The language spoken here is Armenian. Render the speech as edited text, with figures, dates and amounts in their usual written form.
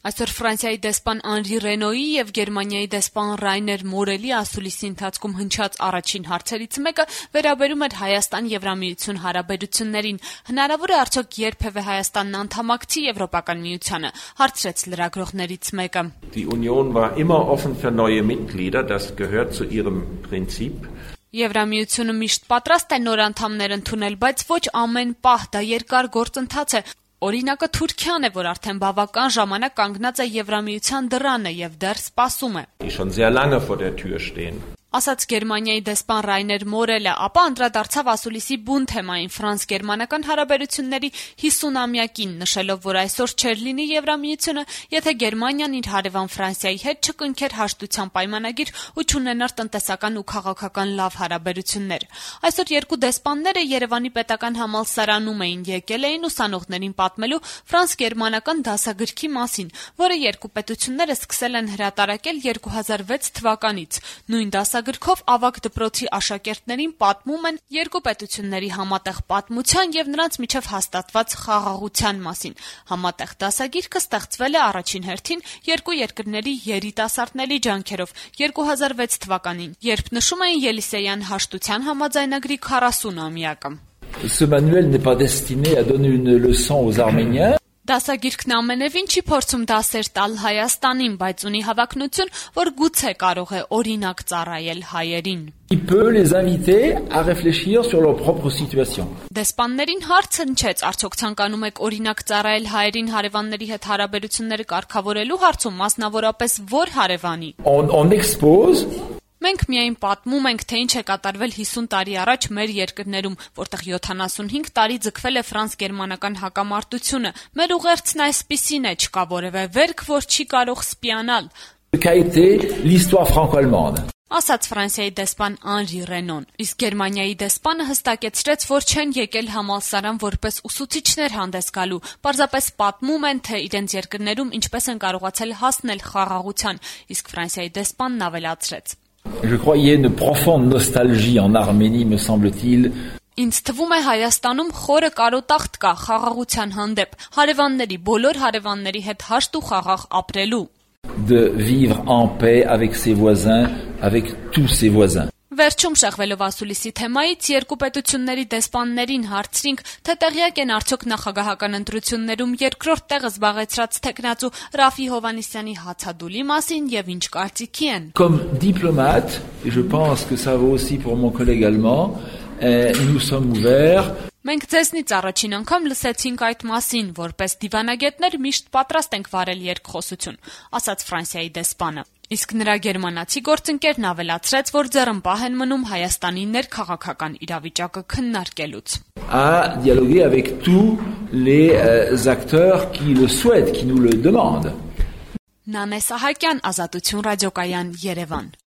Այսօր Ֆրանսիայի դեսպան Անրի Ռենոյի եւ Գերմանիայի դեսպան Ռայներ Մորելի ասուլիսի ընթացքում հնչած առաջին հարցերից մեկը վերաբերում էր Հայաստան-Եվրամիություն հարաբերություններին։ Հնարավոր է արդյոք երբևէ Հայաստանն անդամակցի Եվրոպական միությանը, հարցրեց լրագրողներից մեկը։ Die Union war immer offen für neue Mitglieder, das gehört zu ihrem Prinzip. Եվրամիությունը միշտ պատրաստ է նոր անդամներ ընդունել, բայց ոչ ամեն պահ, դա երկար գործընթաց է։ Օրինակը Թուրքիան է, որ արդեն բավական ժամանակ կանգնած է Եվրամիության դռանը եւ դեռ սպասում է։ Die schon sehr lange vor der Tür stehen. Ասաց Գերմանիայի դեսպան Ռայներ Մորելը, ապա անդրադարձավ ասուլիսի բուն թեմային ֆրանս-գերմանական հարաբերությունների 50-ամյակին, նշելով, որ այսօր չէր լինի Եվրամիությունը, եթե Գերմանիան իր հարևան Ֆրանսիայի հետ չկնքեր հաշտության պայմանագիր ու չունենար տնտեսական ու քաղաքական լավ հարաբերություններ։ Այսօր երկու դեսպանները Երևանի պետական համալսարանում եկել էին ուսանողներին պատմելու ֆրանս-գերմանական դասագրքի մասին, որը երկու պետությունները սկսել են հրատարակել 2006 թվականից։ Նույն դասագրքով ավագ դպրոցի աշակերտներին պատմում են երկու պետությունների համատեղ պատմության եւ նրանց միջև հաստատված խաղաղության մասին։ Համատեղ դասագիրքը ստեղծվել է առաջին հերթին երկու երկրների երիտասարդների ջանքերով 2006 թվականին, երբ նշում էին Ելիսեյան հաշտության համաձայնագրի 40-ամյակը։ Ce manuel n'est pas destiné à donner une leçon aux Arméniens. Դասագիրքն ամենևին չի փորձում դասեր տալ Հայաստանին, բայց ունի հավակնություն, որ գուցե կարող է օրինակ ծառայել հայերին։ Il peut les inviter à réfléchir sur leur propre situation. Դեսպաններին հարց հնչեց, արդյոք ցանկանում եք օրինակ ծառայել հայերին հարևանների հետ հարաբերությունները կարգավորելու հարցում, մասնավորապես որ հարևանի։ On expose. Մենք միայն պատմում ենք, թե ինչ է կատարվել 50 տարի առաջ մեր երկրներում, որտեղ 75 տարի ձգվել է ֆրանս-գերմանական հակամարտությունը։ Մեր ուղերձն այսպիսին է, չկա որևէ վերք, որ չի կարող սպիանալ։ Qu'a été l'histoire franco-allemande. Ասաց Ֆրանսիայի դեսպան Անրի Ռենոն, իսկ Գերմանիայի դեսպանը հստակեցրեց, որ չեն եկել համալսարան որպես ուսուցիչներ հանդես գալու, պարզապես պատմում են, թե իրենց երկրներում ինչպես են կարողացել հասնել խաղաղության, իսկ Ֆրանսիայի դեսպանն ավելացրեց. Je crois qu'il y a une profonde nostalgie en Arménie, me semble-t-il. Ինձ թվում է Հայաստանում խորը կարոտախտ կա խաղաղության հանդեպ, հարևանների, բոլոր հարևանների հետ հաշտ ու խաղաղ ապրելու։ De vivre en paix avec ses voisins, avec tous ses voisins. Վերջում շեղվելով ասուլիսի թեմայից երկու պետությունների դեսպաններին հարցրինք, թե տեղյակ են արդյոք նախագահական ընտրություններում երկրորդ տեղը զբաղեցրած տեխնացու Ռաֆի Հովհաննիսյանի հացադուլի մասին եւ ինչ կարծիքի են։ Comme diplomate, et je pense que ça vaut aussi pour mon collègue allemand, nous sommes ouverts. Մենք ձեզնից առաջին անգամ լսեցինք այդ մասին, որպես դիվանագետներ միշտ պատրաստ ենք վարել երկխոսություն, ասաց Ֆրանսիայի դեսպանը։ Իսկ նրա գերմանացի գործընկերն ավելացրեց, որ ձեռնպահ են մնում Հայաստանի ներքաղաքական իրավիճակը քննարկելուց։ À dialoguer avec tous les acteurs qui le souhaitent, qui nous le demandent. Նանե Սահակյան, Ազատություն ռադիոկայան, Երևան։